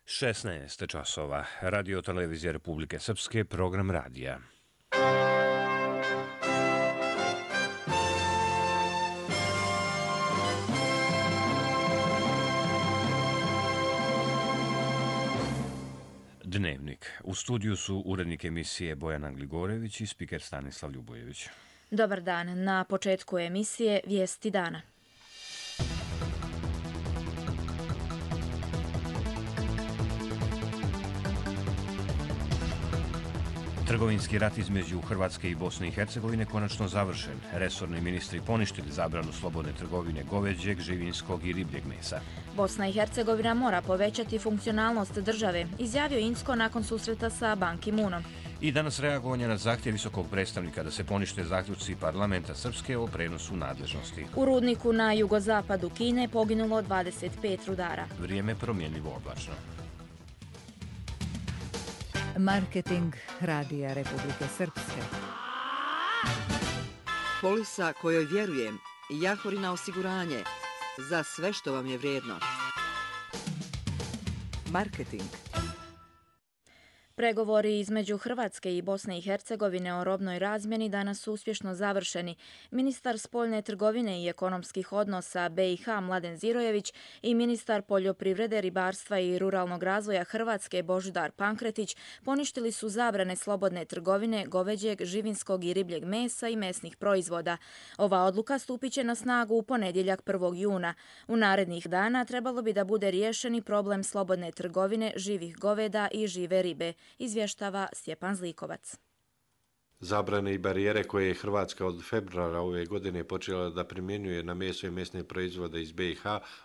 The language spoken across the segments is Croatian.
16 časova. Radio televizija Republike Srpske, program radija. Dnevnik. U studiju su urednik emisije Bojana Gligorević i spiker Stanislav Ljubojević. Dobar dan. Na početku emisije Vijesti dana. Trgovinski rat između Hrvatske i Bosne i Hercegovine konačno završen. Resorni ministri poništili zabranu slobodne trgovine goveđeg, živinskog i ribljeg mesa. Bosna i Hercegovina mora povećati funkcionalnost države, izjavio Incko nakon susreta sa Ban Ki-moonom. I danas reagovanje na zahtjev visokog predstavnika da se ponište zaključci parlamenta Srpske o prenosu nadležnosti. U rudniku na jugozapadu Kine poginulo 25 rudara. Vrijeme promjenljivo oblačno. Marketing Radija Republike Srpske. Polisa kojoj vjerujem, Jahorina osiguranje, za sve što vam je vrijedno. Marketing. Pregovori između Hrvatske i Bosne i Hercegovine o robnoj razmjeni danas su uspješno završeni. Ministar spoljne trgovine i ekonomskih odnosa BiH Mladen Zirojević i ministar poljoprivrede, ribarstva i ruralnog razvoja Hrvatske Božidar Pankretić poništili su zabrane slobodne trgovine goveđeg, živinskog i ribljeg mesa i mesnih proizvoda. Ova odluka stupit će na snagu u ponedjeljak 1. juna. U narednih dana trebalo bi da bude riješeni problem slobodne trgovine živih goveda i žive ribe, izvještava Stjepan Zlikovac. Zabrane i barijere koje je Hrvatska od februara ove godine počela da primjenjuje na meso i mesne proizvode iz BiH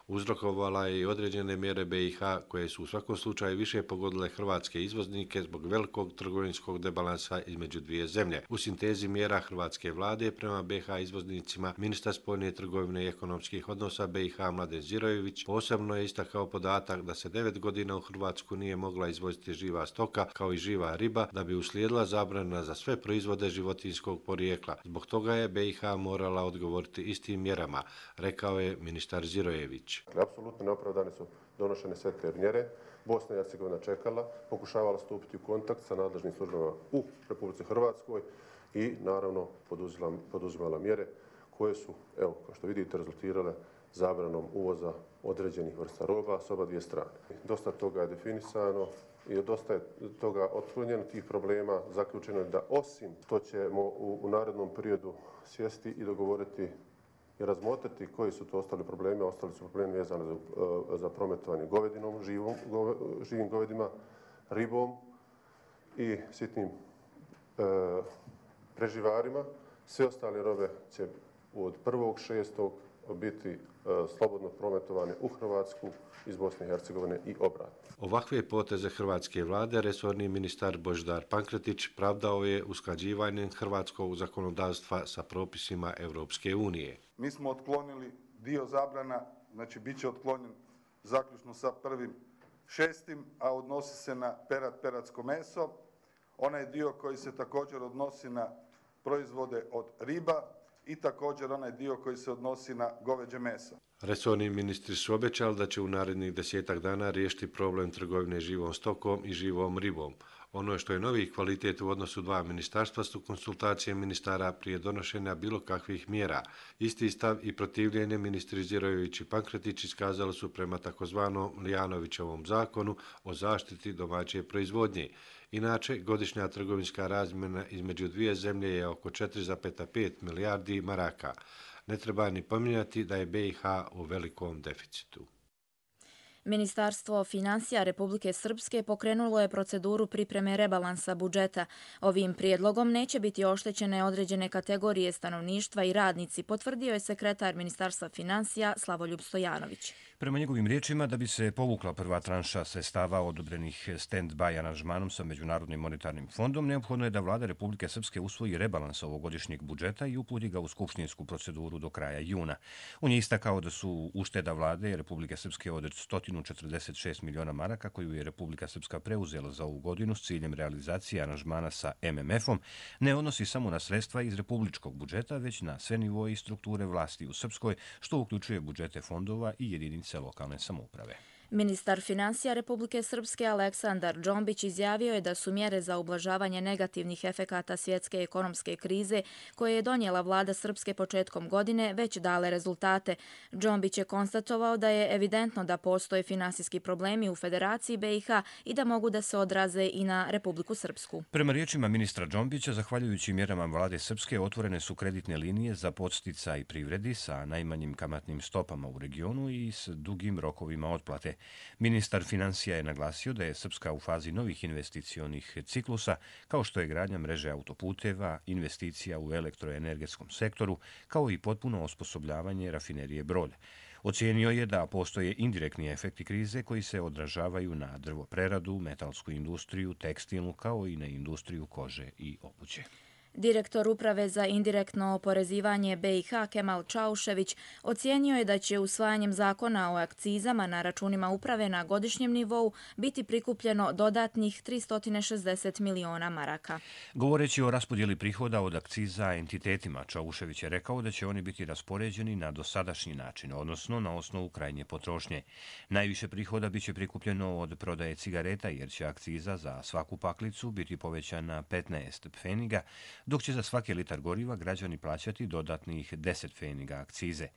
uzrokovala je i određene mjere BiH koje su u svakom slučaju više pogodile hrvatske izvoznike zbog velikog trgovinskog debalansa između dvije zemlje. U sintezi mjera hrvatske vlade prema BiH izvoznicima ministar spoljne trgovine i ekonomskih odnosa BiH Mladen Zirojević posebno je istakao podatak da se 9 godina u Hrvatsku nije mogla izvoziti živa stoka kao i živa riba, da bi uslijedila zabrana za sve proizvode životinjskog porijekla. Zbog toga je BiH morala odgovoriti istim mjerama, rekao je ministar Zirojević. Apsolutno neopravdane su donošene sve te mjere. Bosna i Hercegovina čekala, pokušavala stupiti u kontakt sa nadležnim službama u Republici Hrvatskoj i naravno poduzimala mjere koje su, evo, kao što vidite, rezultirale zabranom uvoza određenih vrsta roba s oba dvije strane. Dosta toga je definisano i dosta je toga otklonjeno tih problema. Zaključeno je da osim što ćemo u narednom periodu sjesti i dogovoriti i razmotriti koji su to ostali problemi. Ostali su problemi vezani za prometovanje govedinom, živim govedima, ribom i sitnim preživarima. Sve ostale robe će od 1.6. biti slobodno prometovane u Hrvatsku iz Bosne i Hercegovine i obratno. Ovakve poteze hrvatske vlade resorni ministar Božidar Pankretić pravdao je usklađivanjem hrvatskog zakonodavstva sa propisima Europske unije. Mi smo otklonili dio zabrana, znači bit će otklonjen zaključno sa 1.6., a odnosi se na peratsko meso. Onaj dio koji se također odnosi na proizvode od riba i također onaj dio koji se odnosi na goveđe meso. Resorni ministri su obećali da će u narednih 10 dana riješiti problem trgovine živom stokom i živom ribom. Ono što je novi kvalitet u odnosu dva ministarstva su konsultacije ministara prije donošenja bilo kakvih mjera. Isti stav i protivljenje ministri Zirojević i Pankretić iskazali su prema takozvanom Lijanovićevom zakonu o zaštiti domaće proizvodnje. Inače, godišnja trgovinska razmjena između dvije zemlje je oko 4,5 milijardi maraka. Ne treba ni pominjati da je BiH u velikom deficitu. Ministarstvo financija Republike Srpske pokrenulo je proceduru pripreme rebalansa budžeta. Ovim prijedlogom neće biti oštećene određene kategorije stanovništva i radnici, potvrdio je sekretar Ministarstva financija Slavoljub Stojanović. Prema njegovim riječima, da bi se povukla prva tranša sredstava odobrenih stand-by aranžmanom sa Međunarodnim monetarnim fondom, neophodno je da vlada Republike Srpske usvoji rebalans ovogodišnjeg budžeta i uputi ga u skupštinsku proceduru do kraja juna. On je istakao da su ušteda vlade Republike Srpske od 146 miliona maraka koju je Republika Srpska preuzela za ovu godinu s ciljem realizacije aranžmana sa MMF-om ne odnosi samo na sredstva iz republičkog budžeta, već na sve nivoe i strukture vlasti u Srpskoj, što uključuje budžete fondova i jedinice lokalne samouprave. Ministar financija Republike Srpske Aleksandar Džombić izjavio je da su mjere za ublažavanje negativnih efekata svjetske ekonomske krize koje je donijela vlada Srpske početkom godine već dale rezultate. Džombić je konstatovao da je evidentno da postoje finansijski problemi u Federaciji BiH i da mogu da se odraze i na Republiku Srpsku. Prema riječima ministra Džombića, zahvaljujući mjerama vlade Srpske, otvorene su kreditne linije za podsticaj privredi sa najmanjim kamatnim stopama u regionu i s dugim rokovima otplate. Ministar financija je naglasio da je Srpska u fazi novih investicionih ciklusa, kao što je gradnja mreže autoputeva, investicija u elektroenergetskom sektoru, kao i potpuno osposobljavanje rafinerije Brod. Ocijenio je da postoje indirektni efekti krize koji se odražavaju na drvopreradu, metalsku industriju, tekstilnu, kao i na industriju kože i obuće. Direktor Uprave za indirektno oporezivanje BiH Kemal Čaušević ocijenio je da će usvajanjem zakona o akcizama na računima uprave na godišnjem nivou biti prikupljeno dodatnih 360 miliona maraka. Govoreći o raspodjeli prihoda od akciza entitetima, Čaušević je rekao da će oni biti raspoređeni na dosadašnji način, odnosno na osnovu krajnje potrošnje. Najviše prihoda biće prikupljeno od prodaje cigareta jer će akciza za svaku paklicu biti povećana 15 pfeniga, dok će za svaki litar goriva građani plaćati dodatnih 10 pfeniga akcize.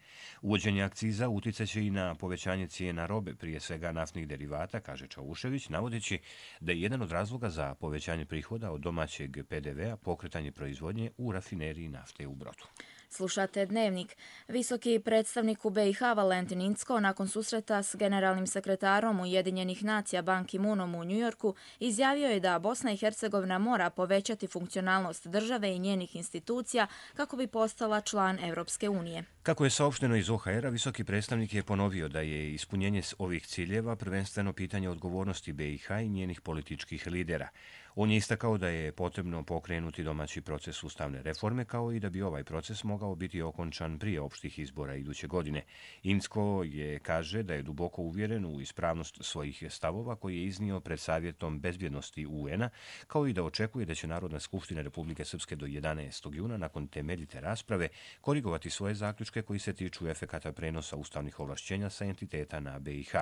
Uvođenje akciza uticaće i na povećanje cijena robe, prije svega naftnih derivata, kaže Čaušević, navodeći da je jedan od razloga za povećanje prihoda od domaćeg PDV-a pokretanje proizvodnje u rafineriji nafte u Brodu. Slušate Dnevnik. Visoki predstavnik u BiH Valentin Incko nakon susreta s generalnim sekretarom Ujedinjenih nacija Ban Ki-moonom u Njujorku izjavio je da Bosna i Hercegovina mora povećati funkcionalnost države i njenih institucija kako bi postala član Europske unije. Kako je saopšteno iz OHR-a, visoki predstavnik je ponovio da je ispunjenje ovih ciljeva prvenstveno pitanje odgovornosti BiH i njenih političkih lidera. On je istakao da je potrebno pokrenuti domaći proces ustavne reforme, kao i da bi ovaj proces mogao biti okončan prije opštih izbora iduće godine. Incko kaže da je duboko uvjeren u ispravnost svojih stavova koji je iznio pred Savjetom bezbjednosti UN-a, kao i da očekuje da će Narodna skupština Republike Srpske do 11. juna nakon temeljite rasprave korigovati svoje zaključke koji se tiču efekata prenosa ustavnih ovlašćenja sa entiteta na BiH.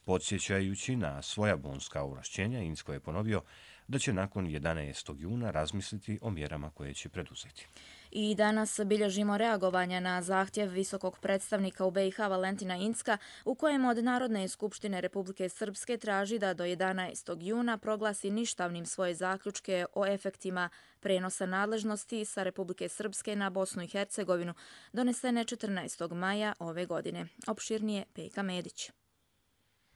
Podsjećajući na svoja bonska ovlašćenja, Incko je ponovio da će nakon 11. juna razmisliti o mjerama koje će preduzeti. I danas bilježimo reagovanja na zahtjev visokog predstavnika u BiH Valentina Incka u kojem od Narodne skupštine Republike Srpske traži da do 11. juna proglasi ništavnim svoje zaključke o efektima prenosa nadležnosti sa Republike Srpske na Bosnu i Hercegovinu donesene 14. maja ove godine. Opširnije Pejka Medić.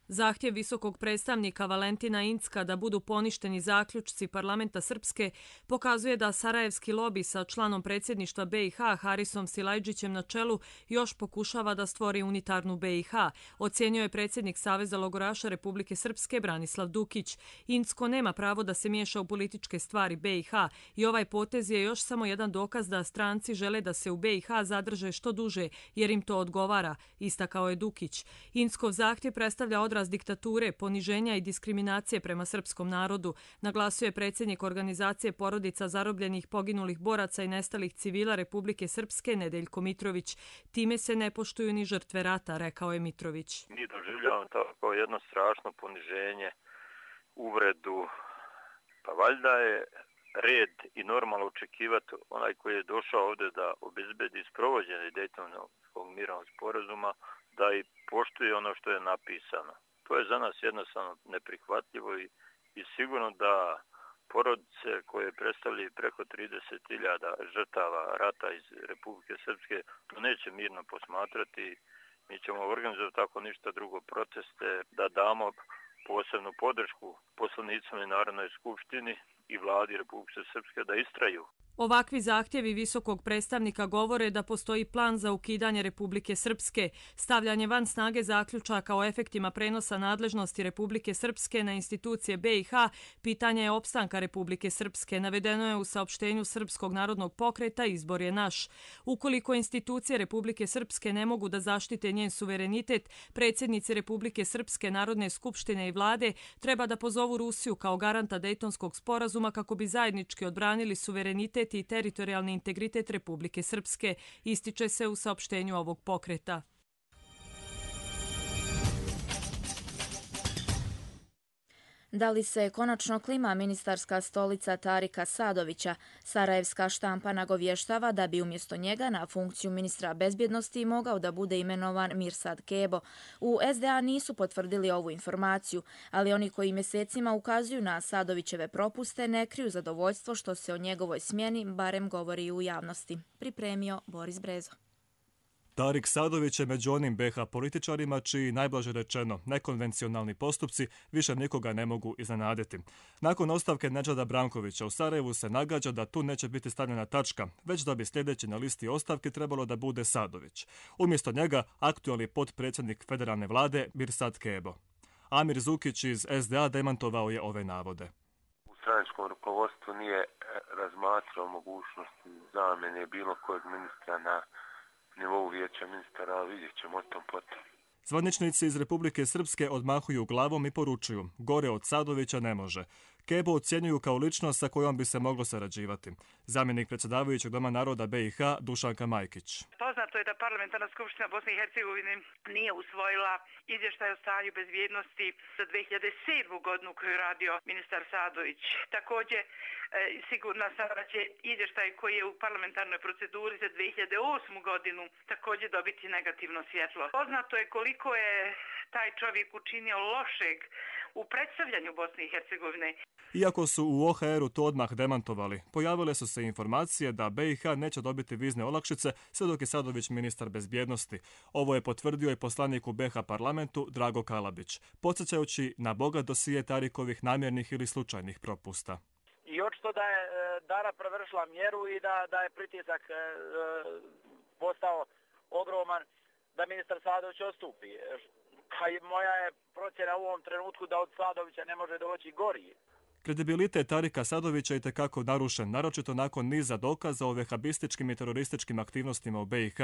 Zahtjev visokog predstavnika Valentina Incka da budu poništeni zaključci parlamenta Srpske pokazuje da sarajevski lobi sa članom predsjedništva BiH Harisom Silajdžićem na čelu još pokušava da stvori unitarnu BiH, ocjenio je predsjednik Saveza logoraša Republike Srpske Branislav Dukić. Incko nema pravo da se miješa u političke stvari BiH i ovaj potez je još samo jedan dokaz da stranci žele da se u BiH zadrže što duže jer im to odgovara, istakao je Dukić. Inckov zahtjev predstavlja odraz diktature, poniženja i diskriminacije prema srpskom narodu, naglasio je predsjednik organizacije porodica zarobljenih, poginulih boraca i nestalih civila Republike Srpske Nedeljko Mitrović. Time se ne poštuju ni žrtve rata, rekao je Mitrović. Mi doživljavamo tako jedno strašno poniženje, uvredu, pa valjda je red i normalno očekivati onaj koji je došao ovdje da obezbedi sprovođenje Dejtonskog mirovnog sporazuma, da i poštuje ono što je napisano. To je za nas jednostavno neprihvatljivo i sigurno da porodice koje predstavljaju preko 30.000 žrtava rata iz Republike Srpske to neće mirno posmatrati. Mi ćemo organizovati tako ništa drugo proteste, da damo posebnu podršku poslanicima i Narodnoj skupštini i vladi Republike Srpske da istraju. Ovakvi zahtjevi visokog predstavnika govore da postoji plan za ukidanje Republike Srpske, stavljanje van snage zaključaka o efektima prenosa nadležnosti Republike Srpske na institucije BiH, pitanje je opstanka Republike Srpske, navedeno je u saopštenju Srpskog narodnog pokreta Izbor je naš. Ukoliko institucije Republike Srpske ne mogu da zaštite njen suverenitet, predsjednici Republike Srpske, Narodne skupštine i vlade treba da pozovu Rusiju kao garanta Dejtonskog sporazuma kako bi zajednički odbranili suverenitet i teritorijalni integritet Republike Srpske, ističe se u saopštenju ovog pokreta. Da li se konačno klima ministarska stolica Tarika Sadovića? Sarajevska štampa nagovještava da bi umjesto njega na funkciju ministra bezbjednosti mogao da bude imenovan Mirsad Kebo. U SDA nisu potvrdili ovu informaciju, ali oni koji mjesecima ukazuju na Sadovićeve propuste ne kriju zadovoljstvo što se o njegovoj smjeni barem govori u javnosti. Pripremio Boris Brezo. Tarik Sadović je među onim BiH političarima čiji, najblaže rečeno, nekonvencionalni postupci više nikoga ne mogu iznenaditi. Nakon ostavke Nedžada Brankovića u Sarajevu se nagađa da tu neće biti stavljena tačka, već da bi sljedeći na listi ostavki trebalo da bude Sadović. Umjesto njega aktualni potpredsjednik federalne vlade Mirsad Kebo. Amir Zukić iz SDA demantovao je ove navode. U stranačkom rukovodstvu nije razmatrao mogućnost zamjene bilo kojeg ministra na nivou vijeća ministara, ali vidjet ćemo o tom potom. Zvaničnici iz Republike Srpske odmahuju glavom i poručuju, gore od Sadovića ne može. Kebo ocjenjuju kao ličnost sa kojom bi se moglo sarađivati. Zamjenik predsjedavajućeg Doma naroda BiH Dušanka Majkić. Poznato je da Parlamentarna skupština Bosne i Hercegovine nije usvojila izvještaj o stanju bezbjednosti za 2007. godinu koju je radio ministar Sadović. Također, sigurna sam da će izvještaj koji je u parlamentarnoj proceduri za 2008. godinu također dobiti negativno svjetlo. Poznato je koliko je taj čovjek učinio lošeg u predstavljanju Bosne i Hercegovine. Iako su u OHR-u to odmah demantovali, pojavile su se informacije da BiH neće dobiti vizne olakšice sve dok je Sadović ministar bezbjednosti. Ovo je potvrdio i poslanik u BiH parlamentu Drago Kalabić, podsjećajući na bogat dosije Tarikovih namjernih ili slučajnih propusta. I očito da je Dara prevršila mjeru i da je pritisak postao ogroman da ministar Sadović odstupi. Moja je procjena u ovom trenutku da od Sadovića ne može doći gori. Kredibilitet Tarika Sadovića je itekako narušen, naročito nakon niza dokaza o vehabističkim i terorističkim aktivnostima u BiH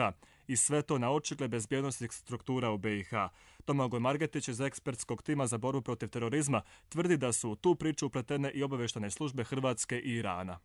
i sve to na očigled bezbjednosnih struktura u BiH. Domagoj Margetić iz ekspertskog tima za borbu protiv terorizma tvrdi da su u tu priču upletene i obavještajne službe Hrvatske i Irana.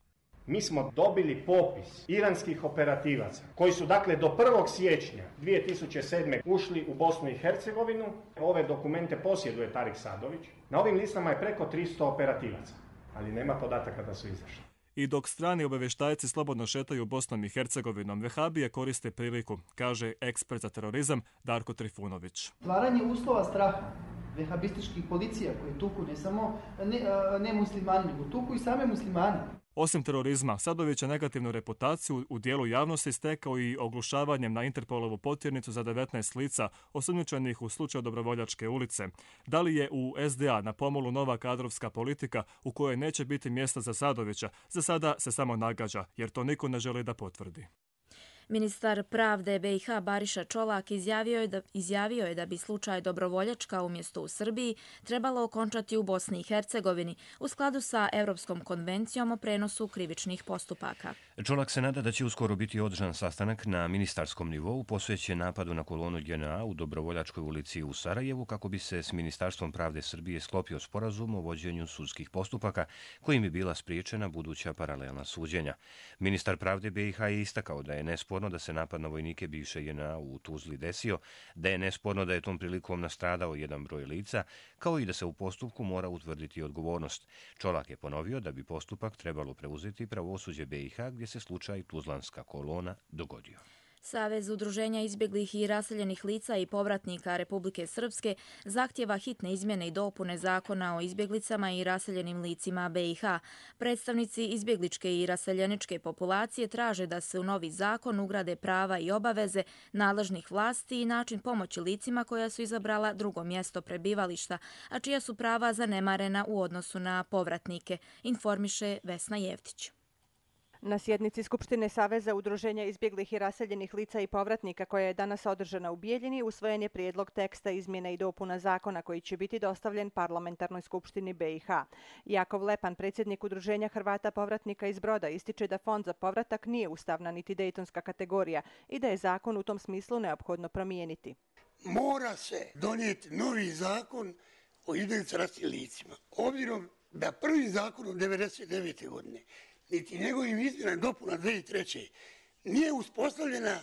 Mi smo dobili popis iranskih operativaca koji su dakle do 1. siječnja 2007. ušli u Bosnu i Hercegovinu. Ove dokumente posjeduje Tarik Sadović. Na ovim listama je preko 300 operativaca, ali nema podataka da su izašli. I dok strani obavještajci slobodno šetaju Bosnom i Hercegovinom, vehabije koriste priliku, kaže ekspert za terorizam Darko Trifunović. Stvaranje uslova straha vehabističkih policija koji tuku ne samo ne muslimani, nego tuku i same muslimani. Osim terorizma, Sadović je negativnu reputaciju u dijelu javnosti stekao i oglušavanjem na Interpolovu potjernicu za 19 lica osumnjičenih u slučaju Dobrovoljačke ulice. Da li je u SDA na pomolu nova kadrovska politika u kojoj neće biti mjesta za Sadovića, za sada se samo nagađa, jer to niko ne želi da potvrdi. Ministar pravde BiH Bariša Čolak izjavio je da bi slučaj Dobrovoljačka umjesto u Srbiji trebalo okončati u Bosni i Hercegovini u skladu sa Europskom konvencijom o prenosu krivičnih postupaka. Čolak se nada da će uskoro biti održan sastanak na ministarskom nivou posvećen napadu na kolonu JNA u Dobrovoljačkoj ulici u Sarajevu kako bi se s Ministarstvom pravde Srbije sklopio sporazum o vođenju sudskih postupaka kojim bi bila spriječena buduća paralelna suđenja. Ministar pravde BiH je istakao da je nesporno da se napad na vojnike bivše JNA u Tuzli desio, da je nesporno da je tom prilikom nastradao jedan broj lica, kao i da se u postupku mora utvrditi odgovornost. Čolak je ponovio da bi postupak trebalo preuzeti pravosuđe BiH gdje se slučaj Tuzlanska kolona dogodio. Savez udruženja izbjeglih i raseljenih lica i povratnika Republike Srpske zahtjeva hitne izmjene i dopune zakona o izbjeglicama i raseljenim licima BiH. Predstavnici izbjegličke i raseljeničke populacije traže da se u novi zakon ugrade prava i obaveze nadležnih vlasti i način pomoći licima koja su izabrala drugo mjesto prebivališta, a čija su prava zanemarena u odnosu na povratnike, informiše Vesna Jevtić. Na sjednici Skupštine Saveza udruženja izbjeglih i raseljenih lica i povratnika koja je danas održana u Bijeljini usvojen je prijedlog teksta izmjena i dopuna zakona koji će biti dostavljen Parlamentarnoj skupštini BiH. Jakov Lepan, predsjednik udruženja Hrvata povratnika iz Broda, ističe da fond za povratak nije ustavna niti dejtonska kategorija i da je zakon u tom smislu neophodno promijeniti. Mora se donijeti novi zakon o izbjeglicama i raseljenim licima. Obzirom da prvi zakon od 1999. godine niti njegovim izmjenama i dopuna 2003. nije uspostavljena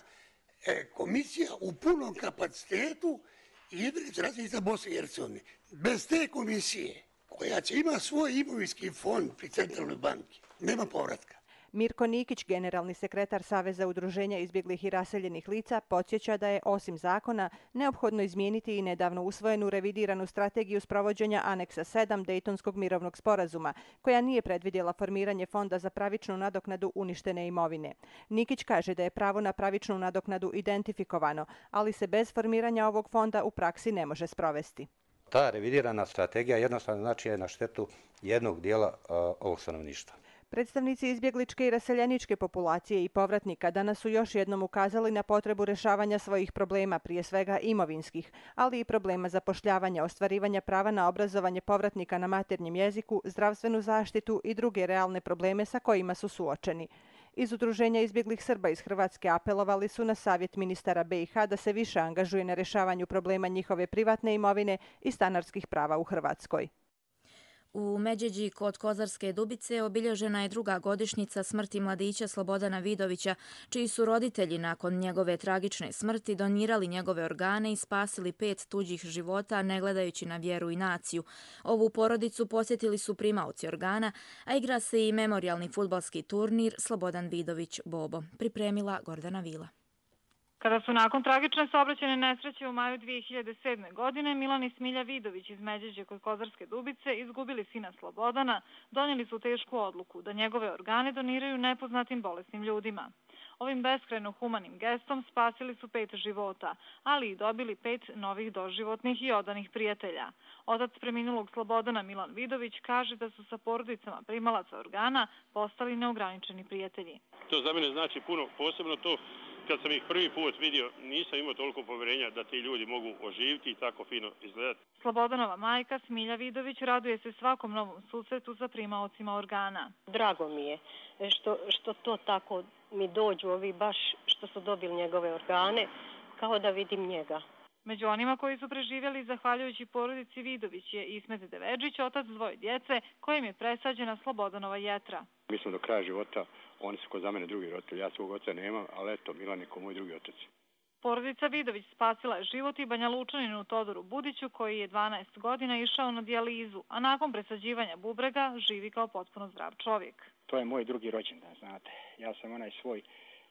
komisija u punom kapacitetu izbjeglica i raseljenih lica Bosne i Hercegovine. Bez te komisije koja će ima svoj imovinski fond pri centralnoj banki. Nema povratka. Mirko Nikić, generalni sekretar Saveza udruženja izbjeglih i raseljenih lica, podsjeća da je, osim zakona, neophodno izmijeniti i nedavno usvojenu revidiranu strategiju sprovođenja aneksa 7 Dejtonskog mirovnog sporazuma, koja nije predvidjela formiranje fonda za pravičnu nadoknadu uništene imovine. Nikić kaže da je pravo na pravičnu nadoknadu identifikovano, ali se bez formiranja ovog fonda u praksi ne može sprovesti. Ta revidirana strategija jednostavno znači je na štetu jednog dijela ovog stanovništva. Predstavnici izbjegličke i raseljeničke populacije i povratnika danas su još jednom ukazali na potrebu rješavanja svojih problema, prije svega imovinskih, ali i problema zapošljavanja, ostvarivanja prava na obrazovanje povratnika na maternjem jeziku, zdravstvenu zaštitu i druge realne probleme sa kojima su suočeni. Iz Udruženja izbjeglih Srba iz Hrvatske apelovali su na savjet ministara BiH da se više angažuje na rješavanju problema njihove privatne imovine i stanarskih prava u Hrvatskoj. U Međeđi kod Kozarske Dubice obilježena je druga godišnjica smrti mladića Slobodana Vidovića, čiji su roditelji nakon njegove tragične smrti donirali njegove organe i spasili 5 tuđih života ne gledajući na vjeru i naciju. Ovu porodicu posjetili su primaoci organa, a igra se i memorijalni fudbalski turnir Slobodan Vidović Bobo. Pripremila Gordana Vila. Kada su nakon tragične saobraćajne nesreće u maju 2007. godine Milan i Smilja Vidović iz Međeđe kod Kozarske Dubice izgubili sina Slobodana, donijeli su tešku odluku da njegove organe doniraju nepoznatim bolesnim ljudima. Ovim beskrajno humanim gestom spasili su 5 života, ali i dobili 5 novih doživotnih i odanih prijatelja. Otac preminulog Slobodana Milan Vidović kaže da su sa porodicama primalaca organa postali neograničeni prijatelji. To za mene znači puno, posebno to kad sam ih prvi put vidio, nisam imao toliko povjerenja da ti ljudi mogu oživiti i tako fino izgledati. Slobodanova majka Smilja Vidović raduje se svakom novom susretu sa primaocima organa. Drago mi je što to tako mi dođu ovi baš što su dobili njegove organe, kao da vidim njega. Među onima koji su preživjeli zahvaljujući porodici Vidović je Ismet Devedžić, otac 2 djece, kojim je presađena Slobodanova jetra. Mi smo do kraja života, oni su ko za mene drugi roditelji, ja svog oca nemam, ali eto, Milan je ko moj drugi otac. Porodica Vidović spasila je život i Banja Lučaninu Todoru Budiću, koji je 12 godina išao na dijalizu, a nakon presađivanja bubrega živi kao potpuno zdrav čovjek. To je moj drugi rođendan, znate. Ja sam onaj svoj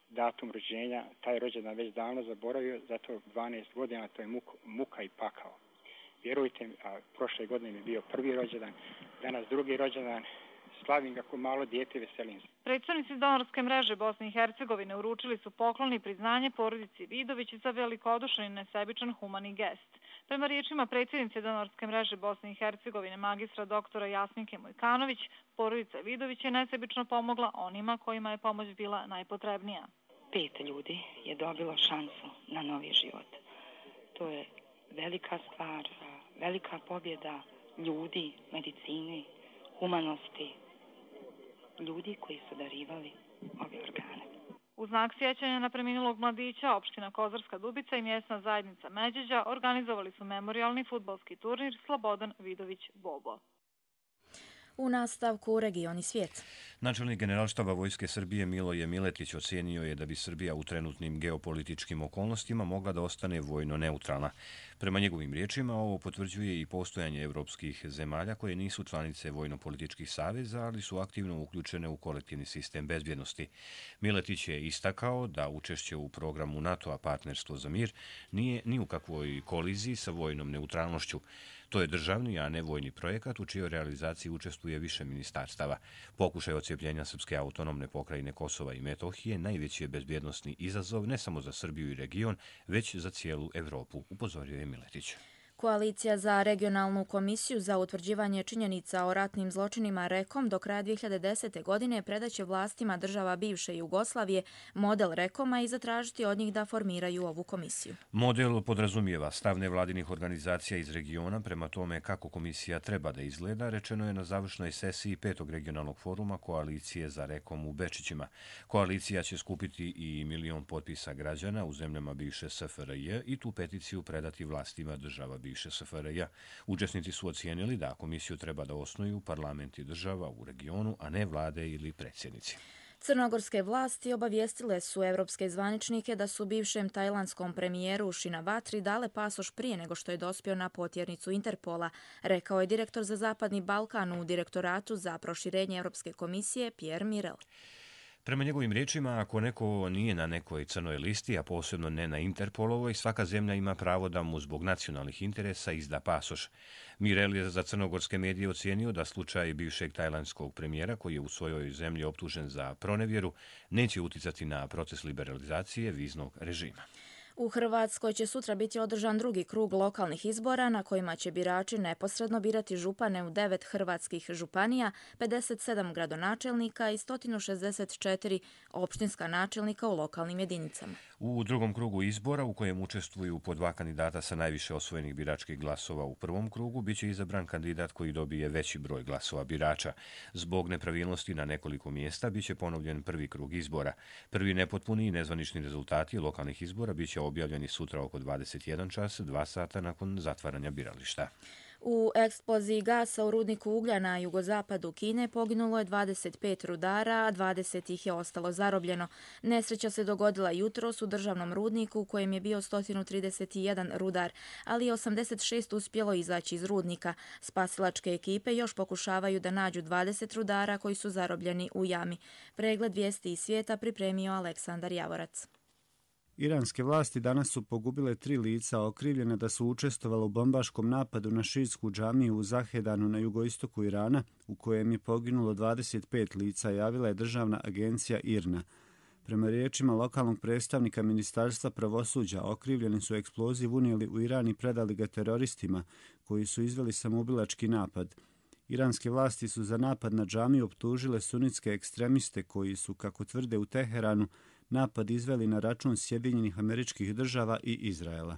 datum rođenja, taj rođendan već davno zaboravio, zato 12 godina to je muka i pakao. Vjerujte mi, a prošle godine mi je bio prvi rođendan, danas drugi rođendan, slavim ga ko malo dijete, veselim se. Predstavnici donorske mreže Bosne i Hercegovine uručili su poklon i priznanje porodici Vidović za velikodušan i nesebičan humani gest. Prema riječima predsjednice donorske mreže Bosne i Hercegovine magistra doktora Jasminke Mojkanović, porodica Vidović je nesebično pomogla onima kojima je pomoć bila najpotrebnija. 5 ljudi je dobilo šansu na novi život. To je velika stvar, velika pobjeda ljudi, medicine, humanosti, ljudi koji su darivali ove organe. U znak sjećanja na preminulog mladića, opština Kozarska Dubica i mjesna zajednica Međeđa organizovali su memorijalni fudbalski turnir Slobodan Vidović Bobo. U nastavku Regioni svijet. Načelnik Generalštaba Vojske Srbije Miloje Miletić ocijenio je da bi Srbija u trenutnim geopolitičkim okolnostima mogla da ostane vojno neutralna. Prema njegovim riječima, ovo potvrđuje i postojanje evropskih zemalja koje nisu članice vojno-političkih saveza, ali su aktivno uključene u kolektivni sistem bezbjednosti. Miletić je istakao da učešće u programu NATO-a Partnerstvo za mir nije ni u kakvoj koliziji sa vojnom neutralnošću. To je državni, a ne vojni projekat u čijoj realizaciji učestvuje više ministarstava. Pokušaj odcijepljenja Srpske autonomne pokrajine Kosova i Metohije najveći je bezbjednosni izazov ne samo za Srbiju i region, već za cijelu Evropu, upozorio je Miletić. Koalicija za regionalnu komisiju za utvrđivanje činjenica o ratnim zločinima REKOM do kraja 2010. godine predaće vlastima država bivše Jugoslavije model REKOM-a i zatražiti od njih da formiraju ovu komisiju. Model podrazumijeva stav nevladinih organizacija iz regiona prema tome kako komisija treba da izgleda, rečeno je na završnoj sesiji 5. regionalnog foruma Koalicije za REKOM u Bečićima. Koalicija će skupiti i 1 milion potpisa građana u zemljama bivše SFRJ i tu peticiju predati vlastima država bivše SFRJ. Učesnici su ocijenili da komisiju treba da osnuju parlamenti država u regionu, a ne vlade ili predsjednici. Crnogorske vlasti obavijestile su evropske zvaničnike da su bivšem tajlandskom premijeru Shinawatri dale pasoš prije nego što je dospio na potjernicu Interpola, rekao je direktor za Zapadni Balkan u Direktoratu za proširenje Europske komisije Pierre Mirel. Prema njegovim riječima, ako neko nije na nekoj crnoj listi, a posebno ne na Interpolovoj, svaka zemlja ima pravo da mu zbog nacionalnih interesa izda pasoš. Mirel je za crnogorske medije ocijenio da slučaj bivšeg tajlandskog premijera, koji je u svojoj zemlji optužen za pronevjeru, neće uticati na proces liberalizacije viznog režima. U Hrvatskoj će sutra biti održan drugi krug lokalnih izbora na kojima će birači neposredno birati župane u 9 hrvatskih županija, 57 gradonačelnika i 164 opštinska načelnika u lokalnim jedinicama. U drugom krugu izbora, u kojem učestvuju po 2 kandidata sa najviše osvojenih biračkih glasova u prvom krugu, bit će izabran kandidat koji dobije veći broj glasova birača. Zbog nepravilnosti na nekoliko mjesta bit će ponovljen prvi krug izbora. Prvi nepotpuni i nezvanični rezultati lokalnih izbora bit će objavljeni sutra oko 21 čas, 2 sata nakon zatvaranja birališta. U eksploziji gasa u rudniku uglja na jugozapadu Kine poginulo je 25 rudara, a 20 ih je ostalo zarobljeno. Nesreća se dogodila jutros u državnom rudniku u kojem je bio 131 rudar, ali je 86 uspjelo izaći iz rudnika. Spasilačke ekipe još pokušavaju da nađu 20 rudara koji su zarobljeni u jami. Pregled vijesti iz svijeta pripremio Aleksandar Javorac. Iranske vlasti danas su pogubile 3 lica okrivljena da su učestvovala u bombaškom napadu na šiitsku džamiju u Zahedanu na jugoistoku Irana, u kojem je poginulo 25 lica, javila je državna agencija IRNA. Prema riječima lokalnog predstavnika Ministarstva pravosuđa, okrivljeni su eksploziv unijeli u Iran i predali ga teroristima, koji su izveli samoubilački napad. Iranske vlasti su za napad na džamiju optužile sunitske ekstremiste koji su, kako tvrde u Teheranu, napad izveli na račun Sjedinjenih Američkih Država i Izraela.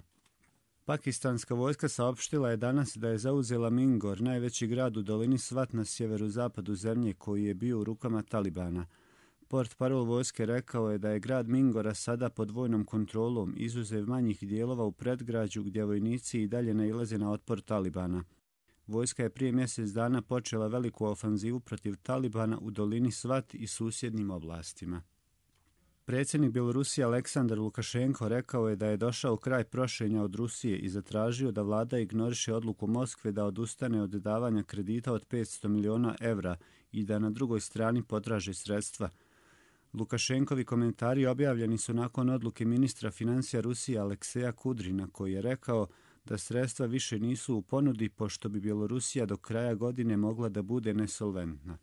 Pakistanska vojska saopštila je danas da je zauzela Mingor, najveći grad u dolini Svat na sjeverozapadu zemlje koji je bio u rukama Talibana. Portparol vojske rekao je da je grad Mingora sada pod vojnom kontrolom, izuzev manjih dijelova u predgrađu gdje vojnici i dalje nailaze na otpor Talibana. Vojska je prije mjesec dana počela veliku ofanzivu protiv Talibana u dolini Svat i susjednim oblastima. Predsjednik Bjelorusije Aleksandar Lukašenko rekao je da je došao kraj prošenja od Rusije i zatražio da vlada ignoriše odluku Moskve da odustane od davanja kredita od 500 miliona evra i da na drugoj strani potraži sredstva. Lukašenkovi komentari objavljeni su nakon odluke ministra financija Rusije Alekseja Kudrina, koji je rekao da sredstva više nisu u ponudi pošto bi Bjelorusija do kraja godine mogla da bude nesolventna.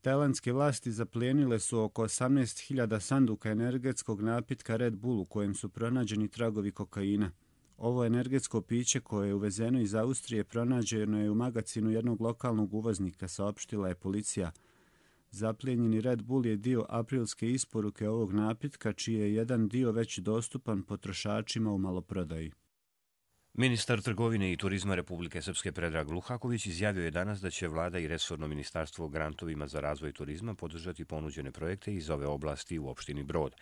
Tajlandske vlasti zaplijenile su oko 18.000 sanduka energetskog napitka Red Bull u kojem su pronađeni tragovi kokaina. Ovo energetsko piće koje je uvezeno iz Austrije pronađeno je u magacinu jednog lokalnog uvoznika, saopštila je policija. Zaplijenjeni Red Bull je dio aprilske isporuke ovog napitka, čiji je jedan dio već dostupan potrošačima u maloprodaji. Ministar trgovine i turizma Republike Srpske Predrag Luhaković izjavio je danas da će vlada i resorno ministarstvo grantovima za razvoj turizma podržati ponuđene projekte iz ove oblasti u opštini Brod.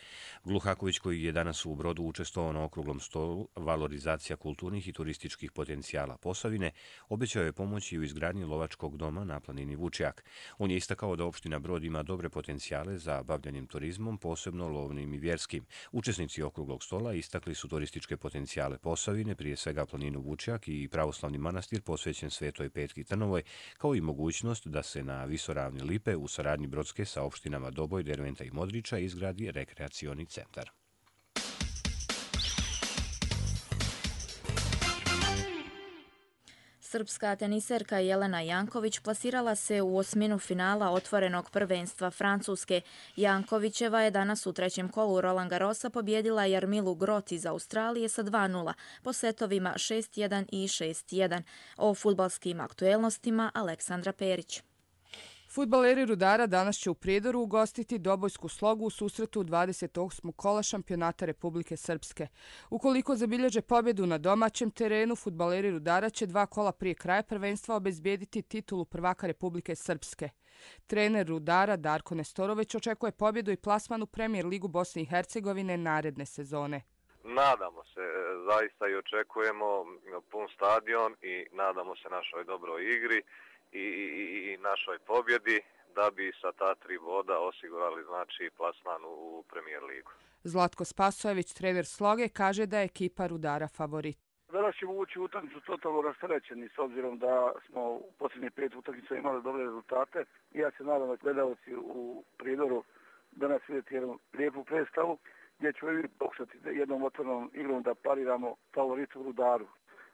Luhaković, koji je danas u Brodu učestvovao na okruglom stolu valorizacija kulturnih i turističkih potencijala Posavine, obećao je pomoći u izgradnji lovačkog doma na planini Vučjak. On je istakao da opština Brod ima dobre potencijale za bavljanjem turizmom, posebno lovnim i vjerskim. Učesnici okruglog stola istakli su turističke potencijale Posavine, prije svega planinu Vučjak i pravoslavni manastir posvećen Svetoj Petki Trnovoj, kao i mogućnost da se na visoravni Lipe u saradnji Brodske sa opštinama Doboj, Derventa i Modriča izgradi rekreacioni centar. Srpska teniserka Jelena Janković plasirala se u osminu finala otvorenog prvenstva Francuske. Jankovićeva je danas u trećem kolu Roland Garrosa pobjedila Jarmilu Grot iz Australije sa 2:0 po setovima 6:1 i 6:1. O fudbalskim aktuelnostima Aleksandra Perić. Fudbaleri Rudara danas će u Prijedoru ugostiti Dobojsku Slogu u susretu 28. kola šampionata Republike Srpske. Ukoliko zabilježe pobjedu na domaćem terenu, fudbaleri Rudara će 2 kola prije kraja prvenstva obezbijediti titulu prvaka Republike Srpske. Trener Rudara Darko Nestorović očekuje pobjedu i plasman u Premier ligu Bosne i Hercegovine naredne sezone. Nadamo se, zaista i očekujemo pun stadion i nadamo se našoj dobroj igri i našoj pobjedi. da bi sa ta 3 boda osigurali znači plasman u Premier ligu. Zlatko Spasojević, trener Sloge, kaže da je ekipa Rudara favorit. Danas ćemo ući u utakmicu totalno rasterećeni s obzirom da smo u posljednjih 5 utakmica imali dobre rezultate. I ja se nadam da gledalci u Prijedoru danas vidjeti jednu lijepu predstavu gdje ćemo i pokušati jednom otvornom igrom da pariramo favoritu Rudaru.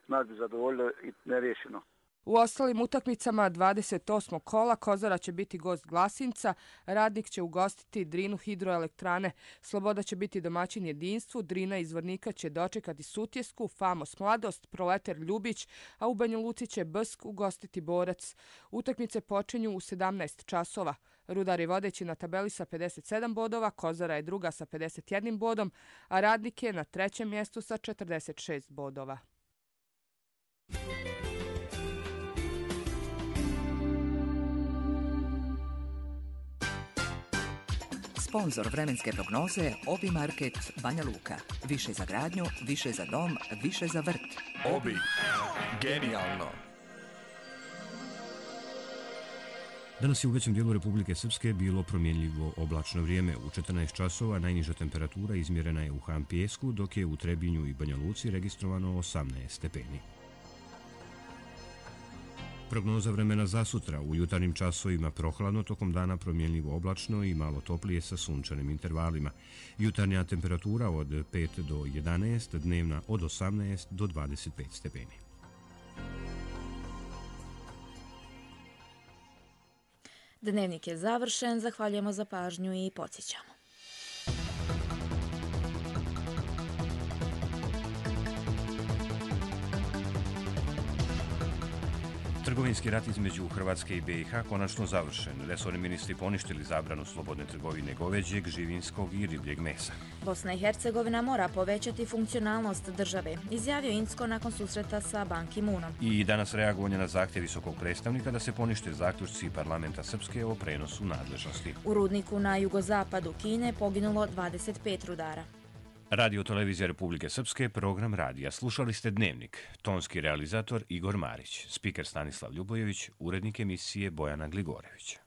Nas bi zadovoljilo i nerješeno. U ostalim utakmicama 28. kola Kozara će biti gost Glasinca, Radnik će ugostiti Drinu hidroelektrane, Sloboda će biti domaćin Jedinstvu, Drina iz Zvornika će dočekati Sutjesku, Famos Mladost, Proletar Ljubić, a u Banja Luci će Bsk ugostiti Borac. Utakmice počinju u 17 časova. Rudar je vodeći na tabeli sa 57 bodova, Kozara je druga sa 51 bodom, a Radnik je na trećem mjestu sa 46 bodova. Sponzor vremenske prognoze Obi Market Banja Luka. Više za gradnju, više za dom, više za vrt. Obi. Genijalno. Danas je u većem dijelu Republike Srpske bilo promjenljivo oblačno vrijeme. U 14 časova najniža temperatura izmjerena je u Han Pijesku, dok je u Trebinju i Banja Luci registrovano 18 stepeni. Prognoza vremena za sutra. U jutarnjim časovima prohladno, tokom dana promjenljivo oblačno i malo toplije sa sunčanim intervalima. Jutarnja temperatura od 5 do 11, dnevna od 18 do 25 stepeni. Dnevnik je završen, zahvaljujemo za pažnju i podsjećamo. Trgovinski rat između Hrvatske i BiH konačno završen. Resorni ministri poništili zabranu slobodne trgovine goveđeg, živinskog i ribljeg mesa. Bosna i Hercegovina mora povećati funkcionalnost države, izjavio Incko nakon susreta sa Ban Ki-moonom. I danas reagovanje na zahtjev visokog predstavnika da se ponište zaključci parlamenta Srpske o prenosu nadležnosti. U rudniku na jugozapadu Kine poginulo 25 rudara. Radio Televizija Republike Srpske, program radija. Slušali ste Dnevnik. Tonski realizator Igor Marić, spiker Stanislav Ljubojević, urednik emisije Bojana Gligorević.